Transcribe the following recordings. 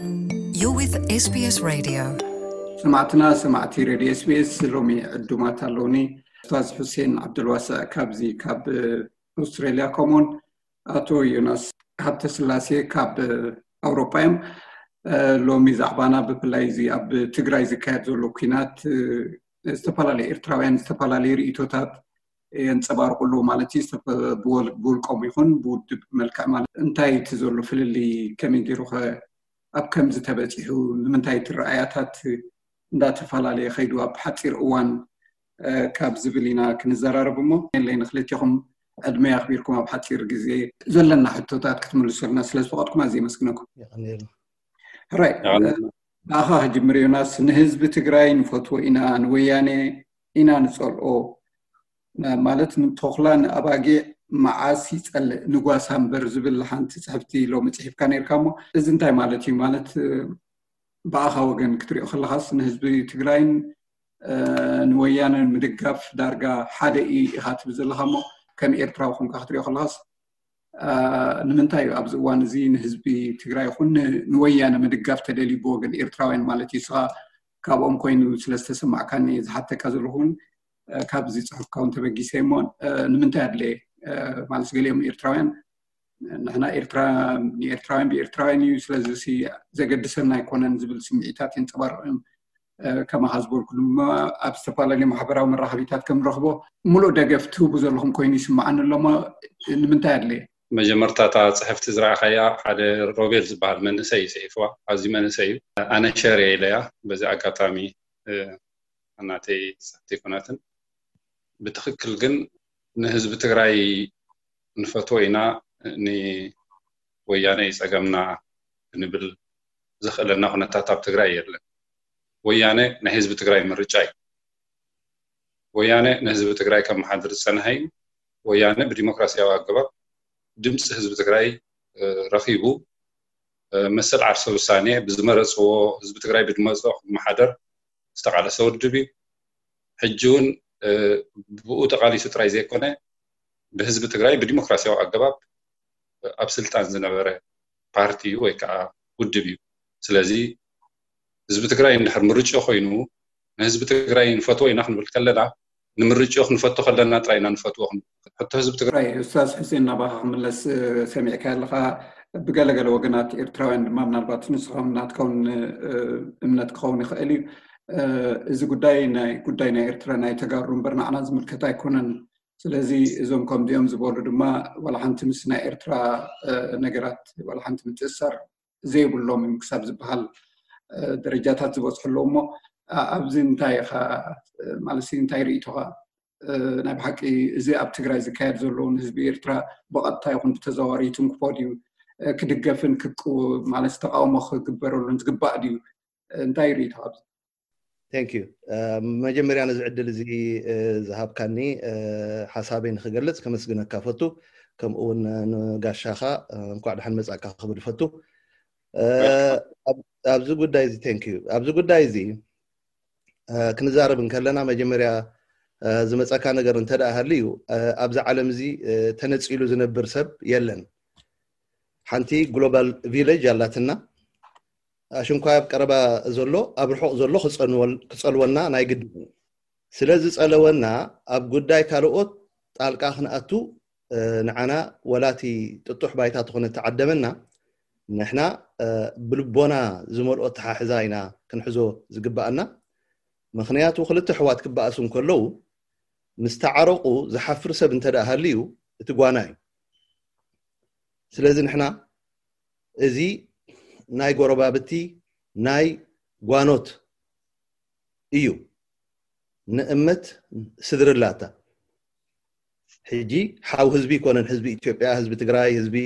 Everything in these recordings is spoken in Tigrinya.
You're with S B S Radio. ሰማዕትና ሰማዕቲ ሬድዮ ኤስቢኤስ፣ ሎሚ ዕዱማት ኣለውኒ። ኡስታዝ ሑሴን ዓብደልዋስዕ ካብዚ ካብ ኣውስትራሊያ፣ ከምኡውን ኣቶ ዮናስ ሃብተስላሴ ካብ ኣውሮጳ እዮም። ሎሚ ዛዕባና ብፍላይ እዚ ኣብ ትግራይ ዝካየድ ዘሎ ኲናት ዝተፈላለዩ ኤርትራውያን ዝተፈላለዩ ርእይቶታት የንፀባርቁ ኣለዉ ማለት እዩ። ብውልቆም ይኹን ብውድብ መልክዕ ማለት እንታይ እቲ ዘሎ ፍልልይ ከመይ ገይሩ ኣብ ከምዚ ተበፂሑ፣ ንምንታይ እቲ ረኣያታት እንዳተፈላለየ ከይዱ ኣብ ሓፂር እዋን ካብ ዝብል ኢና ክንዘራረብ እሞ፣ የለይ ንክልቲኹም ዕድመ ኣኽቢርኩም ኣብ ሓፂር ግዜ ዘለና ሕቶታት ክትምልሱልና ስለ ዝፈቐድኩም ኣዝየ የመስግነኩም። ሕራይ ብኣኻ ክጅምር ዮናስ። ንህዝቢ ትግራይ ንፈትዎ ኢና፣ ንወያኔ ኢና ንፀልኦ። ማለት ንተኹላ ንኣባጊዕ መዓስ ይፀልእ ንጓሳ እምበር ዝብል ሓንቲ ፅሕፍቲ ሎሚ ፅሒፍካ ነርካ እሞ፣ እዚ እንታይ ማለት እዩ? ማለት ብኣኻ ወገን ክትሪኦ ከለኻስ ንህዝቢ ትግራይን ንወያነን ምድጋፍ ዳርጋ ሓደ እዩ ኢኻ ትብል ዘለኻ እሞ፣ ከም ኤርትራዊ ኮንካ ክትሪኦ ከለኻስ ንምንታይ እዩ ኣብዚ እዋን እዚ ንህዝቢ ትግራይ ይኹን ንወያነ ምድጋፍ ተደልዩ ብወገን ኤርትራውያን ማለት እዩ? ስኻ ካብኦም ኮይኑ ስለ ዝተሰማዕካኒ ዝሓተካ ዘለኹ እውን ካብዚ ፅሑፍካ እውን ተበጊሰ እሞ፣ ንምንታይ ኣድለየ ማለት ገሊኦም ኤርትራውያን ንሕና ኤርትራ ንኤርትራውያን ብኤርትራውያን እዩ፣ ስለዚ ዘገድሰና ኣይኮነን ዝብል ስምዒታት የንፀባርቕ እዮም። ከማኻ ዝበልኩ ድማ ኣብ ዝተፈላለዩ ማሕበራዊ መራኸቢታት ከም ንረኽቦ፣ ሙሉእ ደገፍ ትህቡ ዘለኹም ኮይኑ ይስምዓኒ ኣሎ እሞ፣ ንምንታይ ኣድለየ? መጀመርታ እታ ፅሕፍቲ ዝረኣኻያ ሓደ ሮቤል ዝበሃል መንእሰይ እዩ ፅሒፍዋ። ኣዝዩ መንእሰይ እዩ። ኣነ ሸር እየ ኢለያ። በዚ ኣጋጣሚ ናተይ ፅሕፍቲ ኣይኮነትን። ብትኽክል ግን ንህዝቢ ትግራይ ንፈትዎ ኢና፣ ንወያነ እዩ ፀገምና ክንብል ዘኽእለና ኩነታት ኣብ ትግራይ የለን። ወያነ ናይ ህዝቢ ትግራይ ምርጫ እዩ። ወያነ ንህዝቢ ትግራይ ከመሓድር ዝፀንሐ እዩ። ወያነ ብዲሞክራሲያዊ ኣገባብ ድምፂ ህዝቢ ትግራይ ረኺቡ መሰል ዓርሰ ውሳኔ ብዝመረፅዎ ህዝቢ ትግራይ ብድመፆ ክመሓደር ዝተቓለሰ ውድብ እዩ። ሕጂ እውን ብኡ ተቓሊሱ ጥራይ ዘይኮነ ብህዝቢ ትግራይ ብዲሞክራሲያዊ ኣገባብ ኣብ ስልጣን ዝነበረ ፓርቲ እዩ ወይ ከዓ ውድብ እዩ። ስለዚ ህዝቢ ትግራይ እንድሕር ምርጭ ኮይኑ ንህዝቢ ትግራይ ንፈትዎ ኢና ክንብል ከለና ንምርጭ ክንፈቶ ከለና ጥራይ ኢና ንፈትዎ ክንብል። ሕቶ ህዝቢ ትግራይ ኡስታዝ ሕሴን ናባኻ ክምለስ ሰሚዕካ ኣለኻ። ብገለገለ ወገናት ኤርትራውያን ድማ ምናልባት ንስኻም ናትካውን እምነት ክኸውን ይኽእል እዩ። እዚ ጉዳይ ናይ ጉዳይ ናይ ኤርትራ ናይ ተጋሩ እምበር ንዓና ዝምልከት ኣይኮነን። ስለዚ እዞም ከምዚኦም ዝበሉ ድማ ዋላ ሓንቲ ምስ ናይ ኤርትራ ነገራት ዋላ ሓንቲ ምትእሳር ዘይብሎም እዮም ክሳብ ዝበሃል ደረጃታት ዝበፅሑ ኣለዉ እሞ፣ ኣብዚ እንታይ ኢኻ ማለት እንታይ ርእይቶኻ? ናይ ብሓቂ እዚ ኣብ ትግራይ ዝካየድ ዘሎ ንህዝቢ ኤርትራ ብቐጥታ ይኹን ብተዘዋዋሪ ይትንክፎ ድዩ? ክድገፍን ክቅው ማለት ተቃውሞ ክግበረሉን ዝግባእ ድዩ? እንታይ ርእይቶኻ ኣብዚ? Thank you። መጀመርያ ነዚ ዕድል እዚ ዝሃብካኒ ሓሳበይ ንክገልፅ ከመስግነካ ፈቱ። ከምኡ እውን ንጋሻኻ እንኳዕ ደሓን መፃእካ ክብል ፈቱ። ኣብዚ ጉዳይ እዚ thank you። ኣብዚ ጉዳይ እዚ ክንዛረብ እንከለና መጀመርያ ዝመፀካ ነገር እንተ ደኣ ሃልዩ ኣብዚ ዓለም እዚ ተነፂሉ ዝነብር ሰብ የለን። ሓንቲ global village ኣላትና። ኣሽንኳይ ኣብ ቀረባ ዘሎ ኣብ ርሑቕ ዘሎ ክፀልወና ናይ ግድን እዩ። ስለ ዝፀለወና ኣብ ጉዳይ ካልኦት ጣልቃ ክንኣቱ ንዓና ወላቲ ጥጡሕ ባይታ ትኾነ ተዓደመና ንሕና ብልቦና ዝመልኦ ተሓሕዛ ኢና ክንሕዞ ዝግባኣና። ምኽንያቱ ክልተ ኣሕዋት ክበኣሱ እንከለዉ ምስ ተዓረቑ ዝሓፍር ሰብ እንተ ደኣ ሃልዩ እቲ ጓና እዩ። ስለዚ ንሕና እዚ ናይ ጎረባብቲ ናይ ጓኖት እዩ። ንእመት ስድርላታ ሕጂ ሓው ህዝቢ ይኮነን፣ ህዝቢ ኢትዮጵያ፣ ህዝቢ ትግራይ፣ ህዝቢ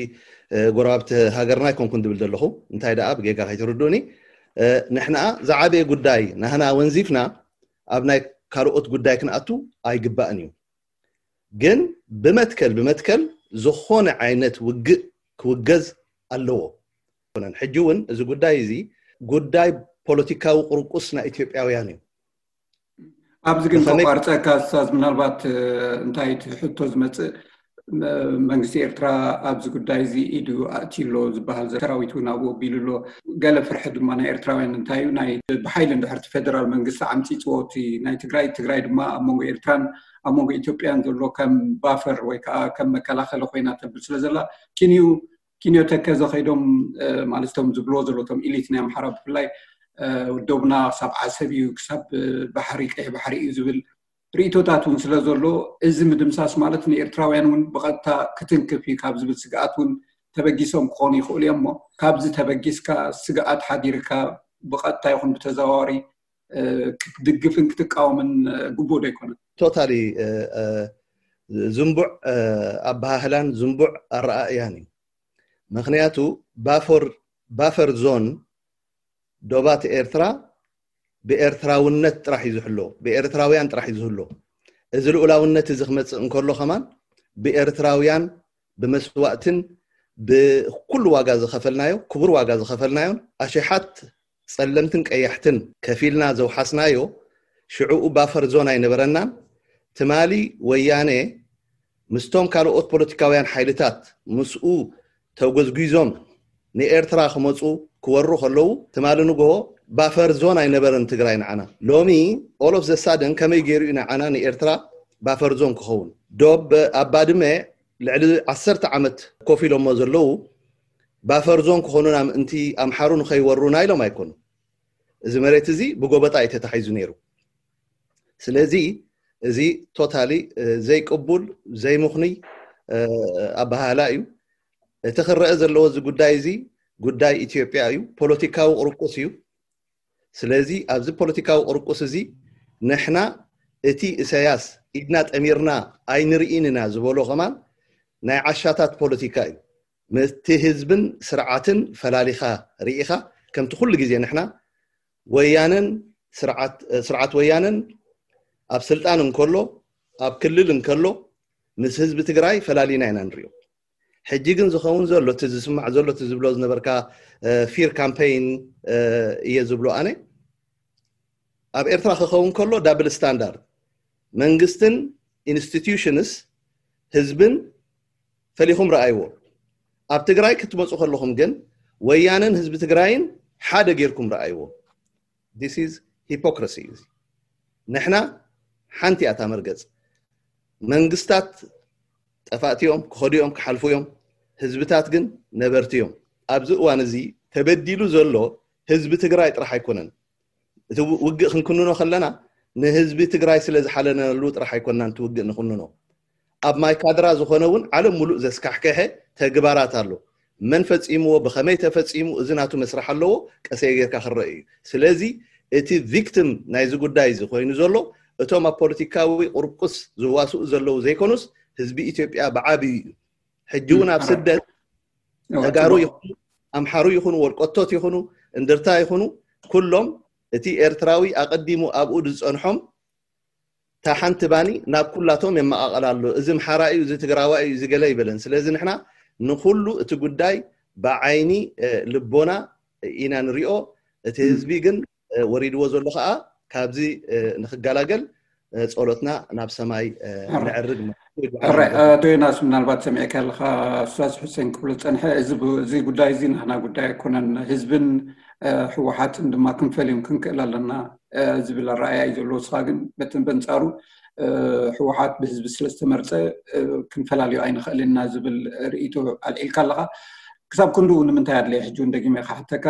ጎረባብቲ ሃገርና ኣይኮንኩን ድብል ዘለኹ። እንታይ ደኣ ብጌጋ ከይትርድኡኒ። ንሕና ዝዓበየ ጉዳይ ናህና ወንዚፍና ኣብ ናይ ካልኦት ጉዳይ ክንኣቱ ኣይግባእን እዩ። ግን ብመትከል ብመትከል ዝኾነ ዓይነት ውግእ ክውገዝ ኣለዎ። ሕጂ እውን እዚ ጉዳይ እዚ ጉዳይ ፖለቲካዊ ቁርቁስ ናይ ኢትዮጵያውያን እዩ። ኣብዚ ግን ከቋርፀካ ስታዝ፣ ምናልባት እንታይ እቲ ሕቶ ዝመፅእ መንግስቲ ኤርትራ ኣብዚ ጉዳይ እዚ ኢዱ ኣእትዩ ኣሎ ዝበሃል፣ ሰራዊት እውን ኣብኡ ኣቢሉ ኣሎ። ገለ ፍርሒ ድማ ናይ ኤርትራውያን እንታይ እዩ፣ ናይ ብሓይሊ እንድሕር እቲ ፌደራል መንግስቲ ዓምፂፅዎ እቲ ናይ ትግራይ፣ ትግራይ ድማ ኣብ መንጎ ኤርትራን ኣብ መንጎ ኢትዮጵያን ዘሎ ከም ባፈር ወይ ከዓ ከም መከላኸሊ ኮይና ተብል ስለ ዘላ፣ ኪንዩ ኪንዮ ተከዘ ከይዶም፣ ማለት እቶም ዝብልዎ ዘሎ እቶም ኢሊት ናይ ኣምሓራ ብፍላይ፣ ወደቡና ክሳብ ዓሰብ እዩ፣ ክሳብ ባሕሪ፣ ቀይሕ ባሕሪ እዩ ዝብል ርእይቶታት እውን ስለ ዘሎ፣ እዚ ምድምሳስ ማለት ንኤርትራውያን እውን ብቐጥታ ክትንክፍ እዩ ካብ ዝብል ስግኣት እውን ተበጊሶም ክኾኑ ይኽእሉ እዮም። እሞ ካብዚ ተበጊስካ፣ ስግኣት ሓዲርካ፣ ብቐጥታ ይኹን ብተዘዋዋሪ ክትድግፍን ክትቃወምን ግቡእ ዶ ኣይኮነን? ቶታሊ ዝንቡዕ ኣበሃህላን ዝንቡዕ ኣረኣእያን እዩ። ምክንያቱ ባፈር ዞን ዶባት ኤርትራ ብኤርትራውነት ጥራሕ እዩ ዝሕሎ፣ ብኤርትራውያን ጥራሕ እዩ ዝህሎ። እዚ ልኡላውነት እዚ ክመፅእ እንከሎ ከማን ብኤርትራውያን ብመስዋእትን ብኩሉ ዋጋ ዝኸፈልናዮ፣ ክቡር ዋጋ ዝኸፈልናዮን ኣሽሓት ፀለምትን ቀያሕትን ከፊልና ዘውሓስናዮ ሽዕኡ ባፈር ዞን ኣይነበረናን። ትማሊ ወያነ ምስቶም ካልኦት ፖለቲካውያን ሓይልታት ምስኡ ተጎዝጒዞም ንኤርትራ ክመፁ ክወሩ ከለዉ ትማሊ ንግሆ ባፈር ዞን ኣይነበረን ትግራይ ንዓና። ሎሚ all of the sudden ከመይ ገይሩ እዩ ንዓና ንኤርትራ ባፈር ዞን ክኸውን? ዶብ ኣብ ባድመ ልዕሊ ዓሰርተ ዓመት ኮፍ ኢሎሞ ዘለዉ ባፈር ዞን ክኾኑና ምእንቲ ኣምሓሩ ንኸይወሩና ኢሎም ኣይኮኑ። እዚ መሬት እዚ ብጎበጣ እዩ ተታሒዙ ነይሩ። ስለዚ እዚ ቶታሊ ዘይቅቡል ዘይምኽኑይ ኣበሃህላ እዩ። እቲ ክረአ ዘለዎ እዚ ጉዳይ እዚ ጉዳይ ኢትዮጵያ እዩ፣ ፖለቲካዊ ቁርቁስ እዩ። ስለዚ ኣብዚ ፖለቲካዊ ቁርቁስ እዚ ንሕና እቲ እሰያስ ኢድና ጠሚርና ኣይንርኢን ኢና ዝበሎ ከማን ናይ ዓሻታት ፖለቲካ እዩ። ምስቲ ህዝብን ስርዓትን ፈላሊኻ ርኢኻ ከምቲ ኩሉ ግዜ ንሕና ወያነን ስርዓት ወያነን ኣብ ስልጣን እንከሎ ኣብ ክልል እንከሎ ምስ ህዝቢ ትግራይ ፈላሊና ኢና ንሪኦ። ሕጂ ግን ዝኸውን ዘሎ እቲ ዝስማዕ ዘሎ እቲ ዝብሎ ዝነበርካ ፊር ካምፔይን እየ ዝብሎ ኣነ። ኣብ ኤርትራ ክኸውን ከሎ ዳብል ስታንዳርድ መንግስትን ኢንስቲትዩሽንስ ህዝብን ፈሊኹም ረኣይዎ። ኣብ ትግራይ ክትመፁ ከለኹም ግን ወያነን ህዝቢ ትግራይን ሓደ ጌርኩም ረኣይዎ። This is hypocrisy። ንሕና ሓንቲ እያ እታ መርገፅ። መንግስታት ጠፋእቲ እዮም፣ ክኸዱ እዮም፣ ክሓልፉ እዮም። ህዝብታት ግን ነበርቲ እዮም። ኣብዚ እዋን እዚ ተበዲሉ ዘሎ ህዝቢ ትግራይ ጥራሕ ኣይኮነን። እቲ ውግእ ክንክንኖ ከለና ንህዝቢ ትግራይ ስለ ዝሓለነሉ ጥራሕ ኣይኮናን እቲ ውግእ ንክንኖ። ኣብ ማይካድራ ዝኾነ እውን ዓለም ሙሉእ ዘስካሕከሐ ተግባራት ኣሎ። መን ፈፂምዎ፣ ብኸመይ ተፈፂሙ፣ እዚ ናቱ መስራሕ ኣለዎ፣ ቀሰይ ጌርካ ክረአ እዩ። ስለዚ እቲ ቪክቲም ናይዚ ጉዳይ እዚ ኮይኑ ዘሎ እቶም ኣብ ፖለቲካዊ ቁርቁስ ዝዋስኡ ዘለዉ ዘይኮኑስ ህዝቢ ኢትዮጵያ ብዓብዩ እዩ። ሕጂ እውን ኣብ ስደት ተጋሩ ይኹኑ፣ ኣምሓሩ ይኹኑ፣ ወልቆቶት ይኹኑ፣ እንድርታ ይኹኑ፣ ኩሎም እቲ ኤርትራዊ ኣቐዲሙ ኣብኡ ዝፀንሖም እታ ሓንቲ ባኒ ናብ ኩላቶም የመቓቐል ኣሎ። እዚ ኣምሓራ እዩ፣ እዚ ትግራዋይ እዩ፣ እዚ ገለ ይበለን። ስለዚ ንሕና ንኹሉ እቲ ጉዳይ ብዓይኒ ልቦና ኢና ንሪኦ። እቲ ህዝቢ ግን ወሪድዎ ዘሎ ከዓ ካብዚ ንክገላገል ጸሎትና ናብ ሰማይ ነዕርግ። ኣቶ ዮናስ፣ ምናልባት ሰሚዐካ ኣለካ ኡስታዝ ሑሴን ክብሎ ዝጸንሐ፣ እዚ ጉዳይ እዚ ናህና ጉዳይ ኣይኮነን፣ ህዝብን ህወሓትን ድማ ክንፈልዮም ክንክእል ኣለና ዝብል ኣረኣእያ እዩ ዘለዎ። ንስኻ ግን በንጻሩ ህወሓት ብህዝቢ ስለዝተመርፀ ክንፈላልዮ ኣይንኽእልን ኢና ዝብል ርእይቶ ኣልዒልካ ኣለኻ። ክሳብ ክንድኡ ንምንታይ ኣድለየ? ሕጂ እውን ደጊመ ክሓተካ፣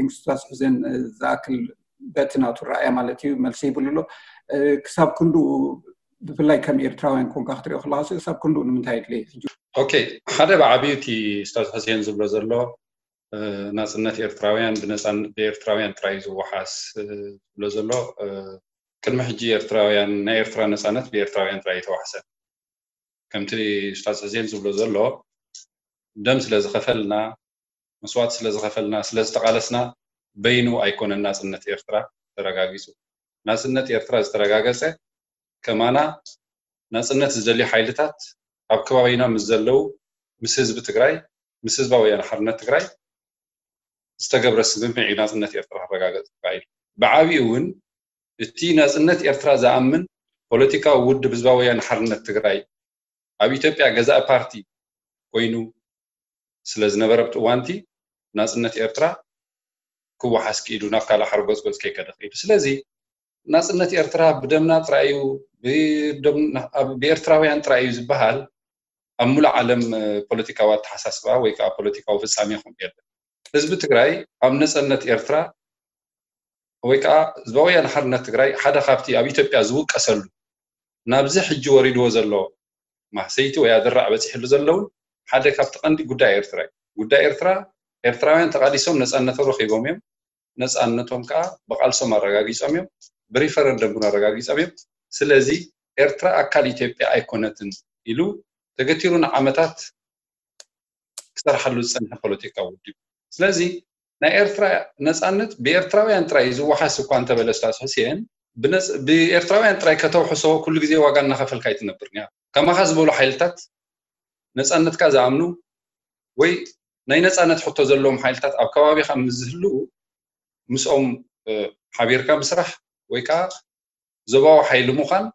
ኡስታዝ ሑሴን ዝኣክል በቲ ናቱ ረኣያ ማለት እዩ፣ መልሲ ይብሉ ኣሎ። ክሳብ ክንድኡ ብፍላይ ከም ኤርትራውያን ኮንካ ክትሪኦ ከለካ፣ ክሳብ ክንድኡ ንምንታይ ኣድለየ? ሕጂ ኦኬ፣ ሓደ ብዓብዩ እቲ ኡስታዝ ሑሴን ዝብሎ ዘሎ ናፅነት ኤርትራውያን ብኤርትራውያን ጥራይ ዝወሓስ ዝብሎ ዘሎ፣ ቅድሚ ሕጂ ኤርትራውያን ናይ ኤርትራ ነፃነት ብኤርትራውያን ጥራይ የተዋሕሰ። ከምቲ ኡስታዝ ሕዜን ዝብሎ ዘሎ፣ ደም ስለ ዝኸፈልና፣ መስዋእቲ ስለ ዝኸፈልና፣ ስለ ዝተቓለስና በይኑ ኣይኮነን ናፅነት ኤርትራ ተረጋጊፁ። ናፅነት ኤርትራ ዝተረጋገፀ ከማና ናፅነት ዝደልዩ ሓይልታት ኣብ ከባቢና ምስ ዘለዉ፣ ምስ ህዝቢ ትግራይ፣ ምስ ህዝባዊ ወያነ ሓርነት ትግራይ ዝተገብረ ስምምዕ እዩ ናፅነት ኤርትራ ክረጋገፅ ተኻኢሉ። ብዓብዩ እውን እቲ ናፅነት ኤርትራ ዝኣምን ፖለቲካዊ ውድብ ህዝባዊ ወያነ ሓርነት ትግራይ ኣብ ኢትዮጵያ ገዛኢ ፓርቲ ኮይኑ ስለ ዝነበረ ኣብቲ እዋንቲ ናፅነት ኤርትራ ክወሓስ ክኢሉ ናብ ካልእ ሓረጎፅጎፅ ከይከደ ክኢሉ። ስለዚ ናፅነት ኤርትራ ብደምና ጥራይ እዩ፣ ብደም- ኣብ- ብኤርትራውያን ጥራይ እዩ ዝበሃል ኣብ ሙሉእ ዓለም ፖለቲካዊ ኣተሓሳስባ ወይ ከዓ ፖለቲካዊ ፍፃሜ ከምኡ የለን። ህዝቢ ትግራይ ኣብ ነፃነት ኤርትራ ወይ ከዓ ህዝባዊ ወያነ ሓርነት ትግራይ ሓደ ካብቲ ኣብ ኢትዮጵያ ዝውቀሰሉ ናብዚ ሕጂ ወሪድዎ ዘሎ ማህሰይቲ ወይ ኣደራዕ በፂሕሉ ዘለውን ሓደ ካብቲ ቀንዲ ጉዳይ ኤርትራ እዩ። ጉዳይ ኤርትራ ኤርትራውያን ተቃሊሶም ነፃነቶም ረኪቦም እዮም። ነፃነቶም ከዓ ብቃልሶም ኣረጋጊፆም እዮም፣ ብሪፈረንደም እውን ኣረጋጊፆም እዮም። ስለዚ ኤርትራ ኣካል ኢትዮጵያ ኣይኮነትን ኢሉ ተገቲሩ ንዓመታት ክሰርሓሉ ዝፀንሐ ፖለቲካዊ ውድብ። ስለዚ ናይ ኤርትራ ነፃነት ብኤርትራውያን ጥራይ ዝወሓስ እኳ እንተበለ ስታስ ሕስኤን ብኤርትራውያን ጥራይ ከተውሕሶ ኩሉ ግዜ ዋጋ እናኸፈልካ ኣይትነብርን እያ። ከማኻ ዝበሉ ሓይልታት ነፃነትካ ዝኣምኑ ወይ ናይ ነፃነት ሕቶ ዘለዎም ሓይልታት ኣብ ከባቢኻ ምስ ዝህልዉ ምስኦም ሓቢርካ ምስራሕ ወይ ከዓ ዞባዊ ሓይሊ ምዃን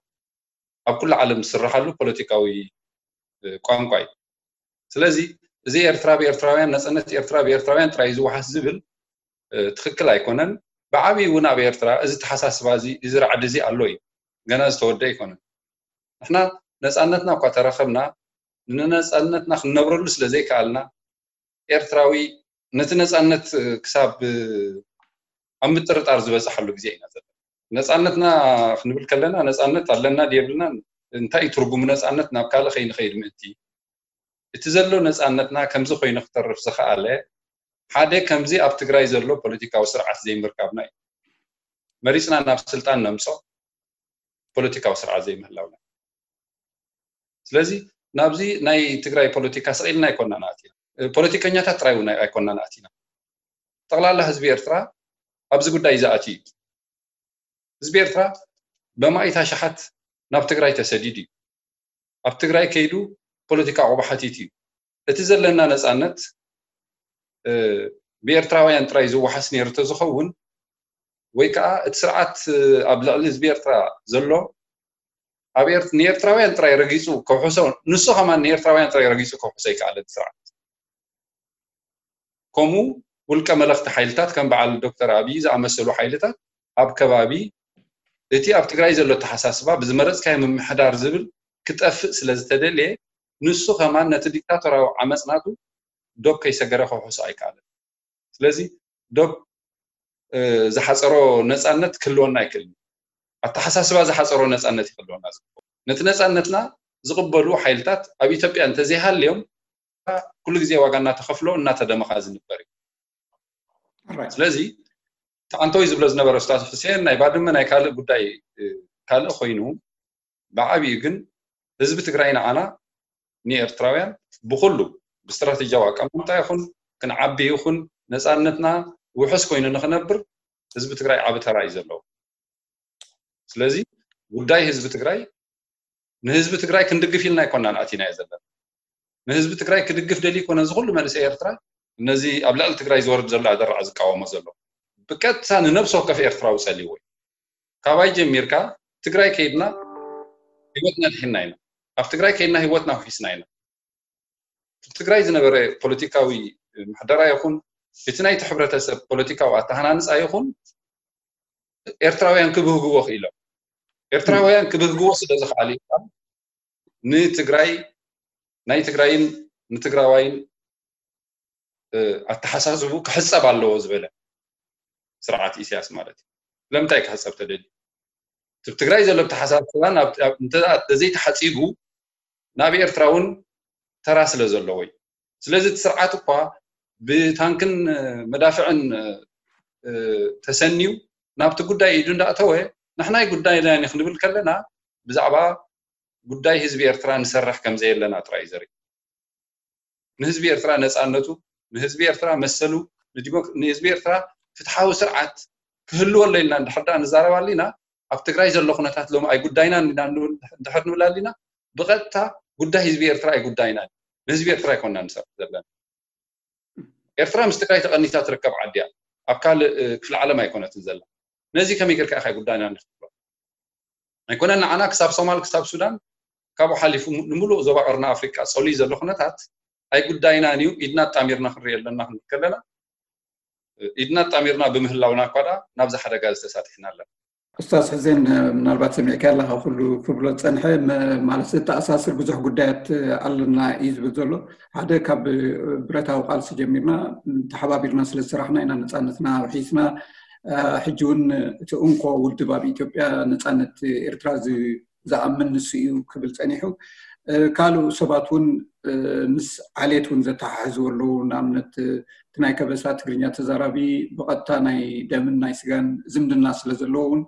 ኣብ ኩሉ ዓለም ዝስረሓሉ ፖለቲካዊ ቋንቋ እዩ። ስለዚ እዚ ኤርትራ ብኤርትራውያን፣ ነፃነት ኤርትራ ብኤርትራውያን ጥራይ ዝወሓስ ዝብል ትኽክል ኣይኮነን። ብዓብዪ እውን ኣብ ኤርትራ እዚ ተሓሳስባ እዚ፣ እዚ ራዕዲ እዚ ኣሎ እዩ፣ ገና ዝተወደ ኣይኮነን። ንሕና ነፃነትና እኳ ተረኸብና ንነፃነትና ክንነብረሉ ስለ ዘይከኣልና ኤርትራዊ ነቲ ነፃነት ክሳብ ኣብ ምጥርጣር ዝበፅሓሉ ግዜ ኢና ዘለና። ነፃነትና ክንብል ከለና ነፃነት ኣለና ድየብልና እንታይ እዩ ትርጉሙ ነፃነት ናብ ካልእ ከይንኸይድ ምእንቲ እቲ ዘሎ ነፃነትና ከምዚ ኮይኑ ክተርፍ ዝኸኣለ ሓደ ከምዚ ኣብ ትግራይ ዘሎ ፖለቲካዊ ስርዓት ዘይምርካብና እዩ። መሪፅና ናብ ስልጣን ነምፆ ፖለቲካዊ ስርዓት ዘይምህላውና። ስለዚ ናብዚ ናይ ትግራይ ፖለቲካ ስቕ ኢልና ኣይኮናን ኣቲና። ፖለቲከኛታት ጥራይ እውን ኣይኮናን ኣቲና። ጠቕላላ ህዝቢ ኤርትራ ኣብዚ ጉዳይ ዝኣትዩ እዩ። ህዝቢ ኤርትራ በማኢት ኣሽሓት ናብ ትግራይ ተሰዲዱ እዩ። ኣብ ትግራይ ከይዱ ፖለቲካ ዕቑባ ሓቲቱ እዩ። እቲ ዘለና ነፃነት ብኤርትራውያን ጥራይ ዝወሓስ ነይሩ ተዝኸውን ወይ ከዓ እቲ ስርዓት ኣብ ልዕሊ ህዝቢ ኤርትራ ዘሎ ኣብ ንኤርትራውያን ጥራይ ረጊፁ ከውሕሶ፣ ንሱ ከማን ንኤርትራውያን ጥራይ ረጊፁ ከውሕሶ ኣይከኣለን ስርዓት። ከምኡ ውልቀ መለኽቲ ሓይልታት ከም በዓል ዶክተር ኣብይ ዝኣመሰሉ ሓይልታት ኣብ ከባቢ እቲ ኣብ ትግራይ ዘሎ ኣተሓሳስባ ብዝመረፅካዮ ምምሕዳር ዝብል ክጠፍእ ስለ ዝተደልየ ንሱ ከማን ነቲ ዲክታቶራዊ ዓመፅ ናቱ ዶብ ከይሰገረ ከውሕሶ ኣይከኣለን። ስለዚ ዶብ ዝሓፀሮ ነፃነት ክህልወና ኣይክእልን። ኣተሓሳስባ ዝሓፀሮ ነፃነት ይክልወና ዝግበኦ። ነቲ ነፃነትና ዝቕበሉ ሓይልታት ኣብ ኢትዮጵያ እንተዘይሃልዮም ኩሉ ግዜ ዋጋ እናተኸፍሎ እናተደመኻ ዝንበር እዩ። ስለዚ ተኣንቶይ ዝብሎ ዝነበረ ስታዝ ሕሴን ናይ ባድመ ናይ ካልእ ጉዳይ ካልእ ኮይኑ ብዓብዩ ግን ህዝቢ ትግራይ ንዓና ንኤርትራውያን ብኩሉ ብስትራቴጂያዊ ኣቀማምጣ ይኹን ክንዓቢ ይኹን ነፃነትና ውሑስ ኮይኑ ንክነብር ህዝቢ ትግራይ ዓቢ ተራ እዩ ዘለዎ። ስለዚ ጉዳይ ህዝቢ ትግራይ ንህዝቢ ትግራይ ክንድግፍ ኢልና ኣይኮናን ኣቲናዮ ዘለና። ንህዝቢ ትግራይ ክድግፍ ደልዩ ኮነ እዚ ኩሉ መንእሰይ ኤርትራ ነዚ ኣብ ልዕሊ ትግራይ ዝወርድ ዘሎ ኣደራዕ ዝቃወሞ ዘሎ ብቀጥታ ንነብሲ ወከፍ ኤርትራዊ ፀልይዎ እዩ። ካባይ ጀሚርካ ትግራይ ከይድና ህይወትና ድሒና ኢና። ኣብ ትግራይ ከይድና ህይወትና ውሒስና ኢና። ትግራይ ዝነበረ ፖለቲካዊ ምሕደራ ይኹን እቲ ናይቲ ሕብረተሰብ ፖለቲካዊ ኣተሃናንፃ ይኹን ኤርትራውያን ክብህግዎ ክኢሎም። ኤርትራውያን ክብህግዎ ስለ ዝኸኣሉ ንትግራይ ናይ ትግራይን ንትግራዋይን ኣተሓሳስቡ ክሕፀብ ኣለዎ ዝበለ ስርዓት ኢሳያስ ማለት እዩ። ስለምንታይ ክሕፀብ ተደልዩ? ትብ ትግራይ ዘሎ ኣተሓሳስባን ተዘይተሓፂቡ ናብ ኤርትራ እውን ተራ ስለ ዘለዎ እዩ። ስለዚ እቲ ስርዓት እኳ ብታንክን መዳፍዕን ተሰንዩ ናብቲ ጉዳይ ኢዱ እንዳእተወ ንሕናይ ጉዳይ ናይ ክንብል ከለና ብዛዕባ ጉዳይ ህዝቢ ኤርትራ ንሰርሕ ከም ዘየለና ጥራይ እዩ ዘርኢ። ንህዝቢ ኤርትራ ነፃነቱ፣ ንህዝቢ ኤርትራ መሰሉ፣ ንህዝቢ ኤርትራ ፍትሓዊ ስርዓት ክህልወሎ ኢልና እንድሕር ደኣ ንዛረብ ኣሊና ኣብ ትግራይ ዘሎ ኩነታት ሎሚ ኣይጉዳይናን ኢና እንድሕር ንብል ኣሊና ብቐጥታ ጉዳይ ህዝቢ ኤርትራ ኣይጉዳይናን። ንህዝቢ ኤርትራ ኣይኮና ንሰርሕ ዘለና። ኤርትራ ምስ ትግራይ ተቐኒታ ትርከብ ዓዲ እያ። ኣብ ካልእ ክፍለ ዓለም ኣይኮነትን ዘላ። ነዚ ከመይ ጌርካ ኢኻ ጉዳይና ንክትብሎ? ኣይኮነን ንዓና ክሳብ ሶማል ክሳብ ሱዳን ካብኡ ሓሊፉ ንምሉእ ዞባ ቀርኒ ኣፍሪቃ ጸልዩ ዘሎ ኩነታት ኣይጉዳይናን እዩ። ኢድና ኣጣሚርና ክንሪኦ ኣለና ክንብል ከለና፣ ኢድና ኣጣሚርና ብምህላውና እኳ ደኣ ናብዚ ሓደጋ እዚ ተሳጢሕና ኣለና። ኡስታዝ ሕዜን፣ ምናልባት ሰሚዕካ ኣለኻ፣ ኩሉ ክብሎ ዝጸንሐ ማለት ዝተኣሳስር ብዙሕ ጉዳያት ኣለና እዩ ዝብል ዘሎ። ሓደ ካብ ብረታዊ ቃልሲ ጀሚርና ተሓባቢርና ስለ ዝሰራሕና ኢና ነጻነትና ውሒስና። ሕጂ እውን እቲ እንኮ ውድብ ኣብ ኢትዮጵያ ነጻነት ኤርትራ ዝኣምን ንሱ እዩ ክብል ጸኒሑ። ካልኡ ሰባት እውን ምስ ዓሌት እውን ዘተሓሕዝዎ ኣለዉ። ንኣብነት እቲ ናይ ከበሳ ትግርኛ ተዛራቢ ብቐጥታ ናይ ደምን ናይ ስጋን ዝምድና ስለ ዘለዎ እውን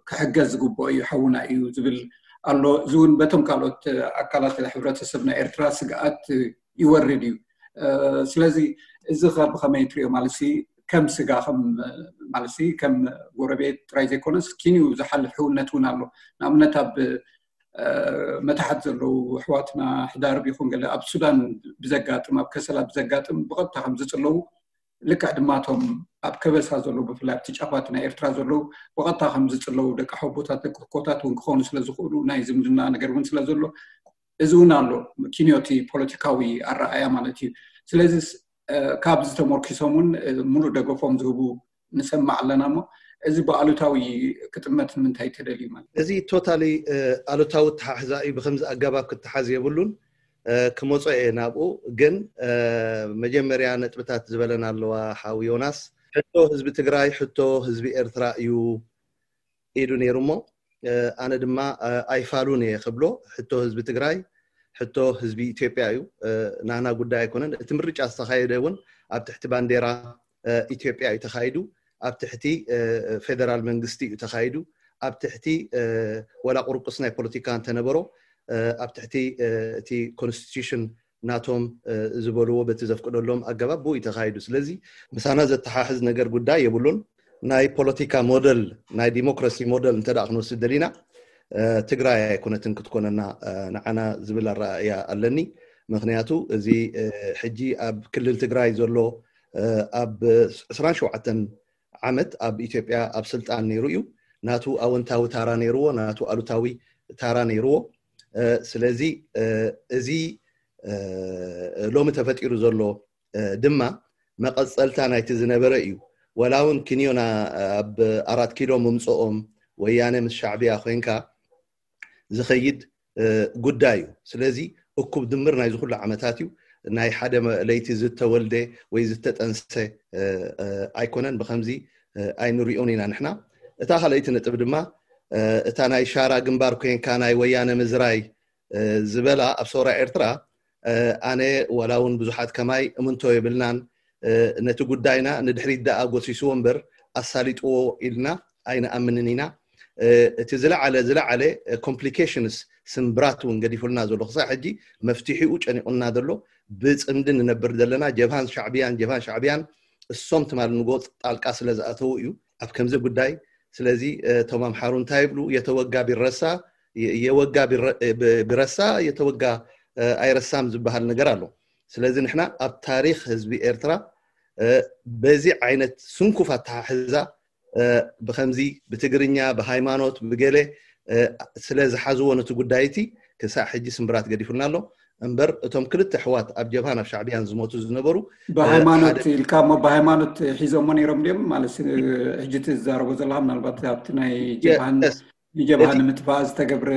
ክሕገዝ ዝግብኦ እዩ፣ ሓውና እዩ ዝብል ኣሎ። እዚ እውን በቶም ካልኦት ኣካላት ሕብረተሰብ ናይ ኤርትራ ስግኣት ይወርድ እዩ። ስለዚ እዚ ከ ብኸመይ ትሪኦ? ማለት ከም ስጋ ከም ማለት ከም ጎረቤት ጥራይ ዘይኮነስ ኪንዩ ዝሓልፍ ሕውነት እውን ኣሎ። ንኣብነት ኣብ መታሕት ዘለዉ ኣሕዋትና ሕዳርብ ይኹን ገለ ኣብ ሱዳን ብዘጋጥም ኣብ ከሰላ ብዘጋጥም ብቐጥታ ከም ዝጽለዉ ልክዕ ድማ እቶም ኣብ ከበሳ ዘለዉ ብፍላይ ኣብቲ ጫፋት ናይ ኤርትራ ዘለዉ ብቐጥታ ከም ዝጽለዉ ደቂ ሓቦታት ደቂ ኮታት እውን ክኾኑ ስለ ዝኽእሉ ናይ ዝምድና ነገር እውን ስለ ዘሎ እዚ እውን ኣሎ ኪንዮቲ ፖለቲካዊ ኣረኣያ ማለት እዩ። ስለዚ ካብዚ ተመርኪሶም እውን ሙሉእ ደገፎም ዝህቡ ንሰማዕ ኣለና እሞ እዚ ብኣሉታዊ ክጥመት ንምንታይ ተደልዩ ማለት? እዚ ቶታሊ ኣሉታዊ ተሓሕዛ እዩ። ብከምዚ ኣገባብ ክተሓዝ የብሉን። ክመጾ እየ ናብኡ። ግን መጀመርያ ነጥብታት ዝበለን ኣለዋ ሓው ዮናስ። ሕቶ ህዝቢ ትግራይ፣ ሕቶ ህዝቢ ኤርትራ እዩ ኢሉ ነይሩ እሞ ኣነ ድማ ኣይፋሉን እየ ክብሎ። ሕቶ ህዝቢ ትግራይ ሕቶ ህዝቢ ኢትዮጵያ እዩ። ናና ጉዳይ ኣይኮነን። እቲ ምርጫ ዝተኻየደ እውን ኣብ ትሕቲ ባንዴራ ኢትዮጵያ እዩ ተኻይዱ። ኣብ ትሕቲ ፌደራል መንግስቲ እዩ ተኻይዱ። ኣብ ትሕቲ ወላ ቁርቁስ ናይ ፖለቲካ እንተነበሮ ኣብ ትሕቲ እቲ ኮንስቲቱሽን ናቶም ዝበልዎ በቲ ዘፍቅደሎም ኣገባብ ብኡ እዩ ተኻይዱ። ስለዚ ምሳና ዘተሓሕዝ ነገር ጉዳይ የብሉን። ናይ ፖለቲካ ሞደል ናይ ዲሞክራሲ ሞደል እንተ ደኣ ክንወስድ ደሊና ትግራይ ኣይኮነትን ክትኮነና ንዓና ዝብል ኣረኣእያ ኣለኒ። ምክንያቱ እዚ ሕጂ ኣብ ክልል ትግራይ ዘሎ ኣብ ዕስራን ሸውዓተን ዓመት ኣብ ኢትዮጵያ ኣብ ስልጣን ነይሩ እዩ። ናቱ ኣወንታዊ ታራ ነይርዎ፣ ናቱ ኣሉታዊ ታራ ነይርዎ። ስለዚ እዚ ሎሚ ተፈጢሩ ዘሎ ድማ መቐፀልታ ናይቲ ዝነበረ እዩ። ወላ እውን ክንዮና ኣብ ኣራት ኪሎ ምምፅኦም ወያነ ምስ ሻዕብያ ኮይንካ ዝኸይድ ጉዳይ እዩ። ስለዚ እኩብ ድምር ናይዚ ኩሉ ዓመታት እዩ። ናይ ሓደ ለይቲ ዝተወልደ ወይ ዝተጠንሰ ኣይኮነን። ብከምዚ ኣይንሪኦን ኢና ንሕና። እታ ካልኣይቲ ነጥብ ድማ እታ ናይ ሻራ ግንባር ኮይንካ ናይ ወያነ ምዝራይ ዝበላ ኣብ ሰውራ ኤርትራ ኣነ ዋላ እውን ብዙሓት ከማይ እምንቶ የብልናን። ነቲ ጉዳይና ንድሕሪት ደኣ ጎሲስዎ እምበር ኣሳሊጥዎ ኢልና ኣይንኣምንን ኢና። እቲ ዝለዓለ ዝለዓለ ኮምፕሊኬሽንስ ስምብራት እውን ገዲፉልና ዘሎ ክሳብ ሕጂ መፍትሒኡ ጨኒቑና ዘሎ ብፅምዲ ንነብር ዘለና ጀብሃን ሻዕብያን ጀብሃን ሻዕብያን እሶም ትማል ንጎ ጣልቃ ስለ ዝኣተዉ እዩ ኣብ ከምዚ ጉዳይ። ስለዚ እቶም ኣምሓሩ እንታይ ይብሉ? የተወጋ ቢረሳ የወጋ ቢረሳ የተወጋ ኣይረሳም ዝበሃል ነገር ኣሎ። ስለዚ ንሕና ኣብ ታሪክ ህዝቢ ኤርትራ በዚ ዓይነት ስንኩፍ ኣተሓሕዛ ብከምዚ ብትግርኛ ብሃይማኖት ብገለ ስለ ዝሓዝዎ ነቲ ጉዳይ እቲ ክሳዕ ሕጂ ስምብራት ገዲፉልና ኣሎ። እምበር እቶም ክልተ ኣሕዋት ኣብ ጀብሃን ኣብ ሻዕብያን ዝሞቱ ዝነበሩ ብሃይማኖት ኢልካ እሞ ብሃይማኖት ሒዞሞ ነይሮም ድዮም ማለት ሕጂ እቲ ዝዛረቦ ዘለካ ምናልባት ኣብቲ ናይ ጀብሃን ንጀብሃ ንምጥፋእ ዝተገብረ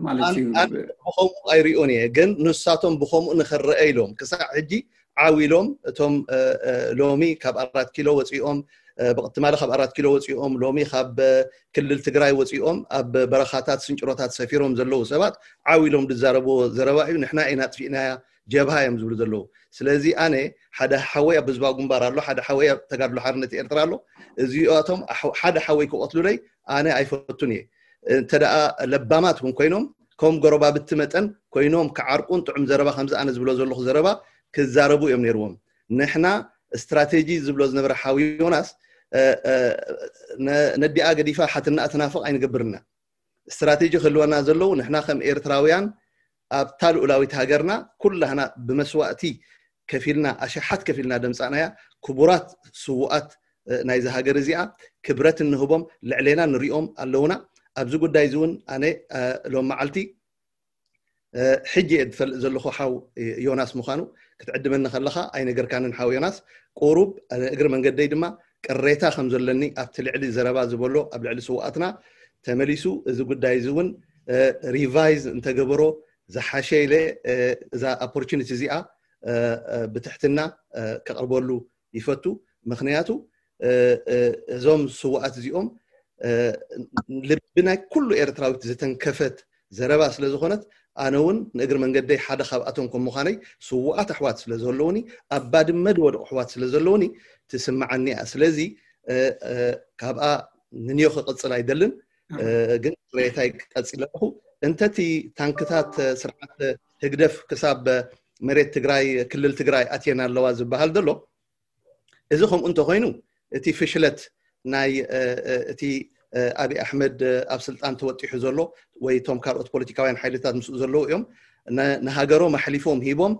ማለት እዩ። ብኸምኡ ኣይሪኦን እየ፣ ግን ንሳቶም ብኸምኡ ንኽረአ ኢሎም ክሳዕ ሕጂ ዓው ኢሎም እቶም ሎሚ ካብ ኣራት ኪሎ ወፂኦም ትማሊ ካብ ኣራት ኪሎ ወፂኦም ሎሚ ካብ ክልል ትግራይ ወፂኦም ኣብ በረኻታት ስንጭሮታት ሰፊሮም ዘለዉ ሰባት ዓው ኢሎም ዝዛረብዎ ዘረባ እዩ። ንሕና ኢና ኣጥፊእናያ ጀብሃ እዮም ዝብሉ ዘለዉ። ስለዚ ኣነ ሓደ ሓወይ ኣብ ህዝባዊ ግንባር ኣሎ፣ ሓደ ሓወይ ኣብ ተጋድሎ ሓርነት ኤርትራ ኣሎ። እዚኣቶም ሓደ ሓወይ ክቐትሉለይ ኣነ ኣይፈቱን እየ። እንተ ደኣ ለባማት እውን ኮይኖም ከም ጎረባብቲ መጠን ኮይኖም ክዓርቁን ጥዑም ዘረባ ከምዚ ኣነ ዝብሎ ዘለኹ ዘረባ ክዛረቡ እዮም ነይርዎም። ንሕና ስትራቴጂ ዝብሎ ዝነበረ ሓው ዮናስ ነዲኣ ገዲፋ ሓትናኣ ትናፍቕ ኣይንገብርና። ስትራቴጂ ክህልወና ዘለዉ ንሕና ከም ኤርትራውያን ኣብታ ልኡላዊት ሃገርና ኩላህና ብመስዋእቲ ከፊልና ኣሽሓት ከፊልና ደምፃእናያ ክቡራት ስዉኣት ናይዚ ሃገር እዚኣ ክብረት እንህቦም ልዕሌና ንሪኦም ኣለውና። ኣብዚ ጉዳይ እዚ እውን ኣነ ሎም መዓልቲ ሕጂ እየ ዝፈልጥ ዘለኹ ሓው ዮናስ ምዃኑ ክትዕድመኒ ከለኻ ኣይነገርካንን ሓው ዮናስ። ቁሩብ እግሪ መንገደይ ድማ ቅሬታ ከም ዘለኒ ኣብቲ ልዕሊ ዘረባ ዝበሎ ኣብ ልዕሊ ስውኣትና ተመሊሱ እዚ ጉዳይ እዚ እውን ሪቫይዝ እንተገበሮ ዝሓሸ ኢለ እዛ ኦፖርቹኒቲ እዚኣ ብትሕትና ከቕርበሉ ይፈቱ። ምክንያቱ እዞም ስውኣት እዚኦም ልቢ ናይ ኩሉ ኤርትራዊት ዝተንከፈት ዘረባ ስለ ዝኾነት ኣነ እውን ንእግሪ መንገደይ ሓደ ካብኣቶም ከም ምዃነይ ስውኣት ኣሕዋት ስለ ዘለውኒ ኣብ ባድመ ዝወደቑ ኣሕዋት ስለ ዘለውኒ ትስምዓኒ እያ። ስለዚ ካብኣ ንንዮ ክቕጽል ኣይደልን፣ ግን ቅሬታይ ቀጺለ ኣለኹ። እንተቲ ታንክታት ስርዓት ህግደፍ ክሳብ መሬት ትግራይ ክልል ትግራይ ኣትየን ኣለዋ ዝበሃል ዘሎ እዚ ከምኡ እንተኮይኑ እቲ ፍሽለት ናይ እቲ ኣብይ ኣሕመድ ኣብ ስልጣን ተወጢሑ ዘሎ ወይ እቶም ካልኦት ፖለቲካውያን ሓይልታት ምስኡ ዘለዉ እዮም ንሃገሮም ኣሕሊፎም ሂቦም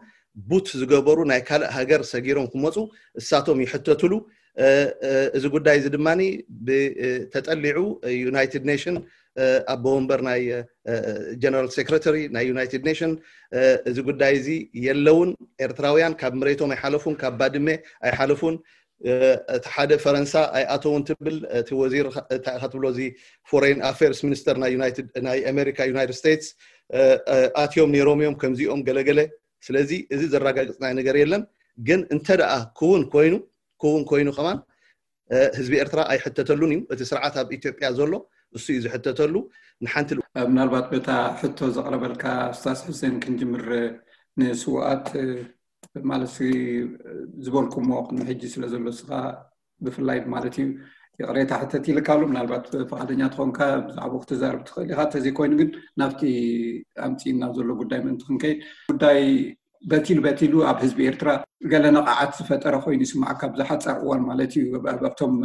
ቡት ዝገበሩ ናይ ካልእ ሃገር ሰጊሮም ክመፁ እሳቶም ይሕተትሉ። እዚ ጉዳይ እዚ ድማ ተጠሊዑ ዩናይትድ ኔሽን ኣቦ ወንበር ናይ ጀነራል ሴክረተሪ ናይ ዩናይትድ ኔሽን እዚ ጉዳይ እዚ የለውን። ኤርትራውያን ካብ መሬቶም ኣይሓለፉን፣ ካብ ባድመ ኣይሓለፉን። እቲ ሓደ ፈረንሳ ኣይኣተውን ትብል እቲ ወዚር እንታይ ኢኻ ትብሎ እዚ ፎሬን ኣፌርስ ሚኒስተር ናይ ዩናይትድ ናይ ኣሜሪካ ዩናይትድ ስቴትስ ኣትዮም ነይሮም እዮም ከምዚኦም ገለገለ። ስለዚ እዚ ዘረጋግጽናይ ነገር የለን። ግን እንተ ደኣ ክውን ኮይኑ ክውን ኮይኑ ከማን ህዝቢ ኤርትራ ኣይሕተተሉን እዩ። እቲ ስርዓት ኣብ ኢትዮጵያ ዘሎ እሱ እዩ ዝሕተተሉ። ንሓንቲ ምናልባት በታ ሕቶ ዘቕረበልካ ስታስ ሕሴን ክንጅምር ንስውኣት ማለት ዝበልኩሞ ሕጂ ስለ ዘሎ ስኻ ብፍላይ ማለት እዩ ይቕሬታ ሕተት ኢልካሉ ምናልባት ፈቃደኛ ትኾንካ ብዛዕባ ክትዛርብ ትኽእል ኢኻ። ተዘይኮይኑ ግን ናብቲ ኣምፂእና ዘሎ ጉዳይ ምእንቲ ክንከይድ ጉዳይ በቲሉ በቲሉ ኣብ ህዝቢ ኤርትራ ገለ ነቓዓት ዝፈጠረ ኮይኑ ይስማዓካ ብዝሓፃር እዋን ማለት እዩ ኣብቶም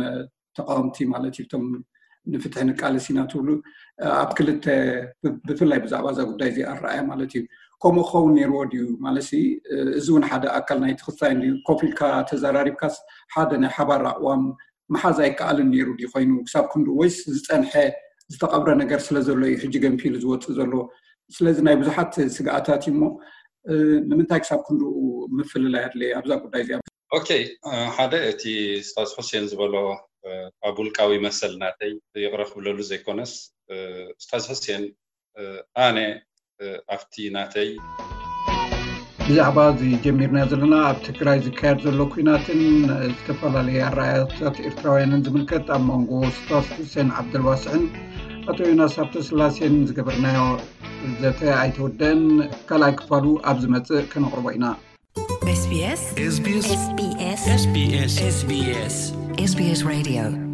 ተቃወምቲ ማለት እዩ እቶም ንፍትሒ ንቃለስ ኢና ትብሉ ኣብ ክልተ ብፍላይ ብዛዕባ እዛ ጉዳይ እዚ ኣረኣያ ማለት እዩ ከምኡ ክኸውን ነይርዎ ድዩ ማለት እዚ እውን ሓደ ኣካል ናይ ትክሳይ ኮፍ ኢልካ ተዘራሪብካስ ሓደ ናይ ሓባር ኣቅዋም ምሓዝ ኣይከኣልን ነይሩ ድዩ ኮይኑ ክሳብ ክንዱ ወይስ ዝፀንሐ ዝተቐብረ ነገር ስለ ዘሎ እዩ ሕጂ ገንፊሉ ዝወፅእ ዘሎ ስለዚ ናይ ብዙሓት ስግኣታት እዩ እሞ ንምንታይ ክሳብ ክንድኡ ምፍልላይ ኣድለየ ኣብዛ ጉዳይ እዚኣ ኦኬ ሓደ እቲ ስታዝ ሑሴን ዝበሎ ኣብ ውልቃዊ መሰል ናተይ ይቕረ ክብለሉ ዘይኮነስ ስታዝ ሑሴን ኣነ ኣብቲ ናተይ ብዛዕባ እዚ ጀሚርና ዘለና ኣብ ትግራይ ዝካየድ ዘሎ ኩናትን ዝተፈላለዩ ኣረኣያታት ኤርትራውያንን ዝምልከት ኣብ መንጎ ስታዝ ሑሴን ዓብደልዋስዕን ኣቶ ዮናስ ሃብተስላሴን ዝገበርናዮ ዘተ ኣይተወደአን ካልኣይ ክፋሉ ኣብ ዝመፅእ ከነቕርቦ ኢና SBS SBS SBS SBS SBS Radio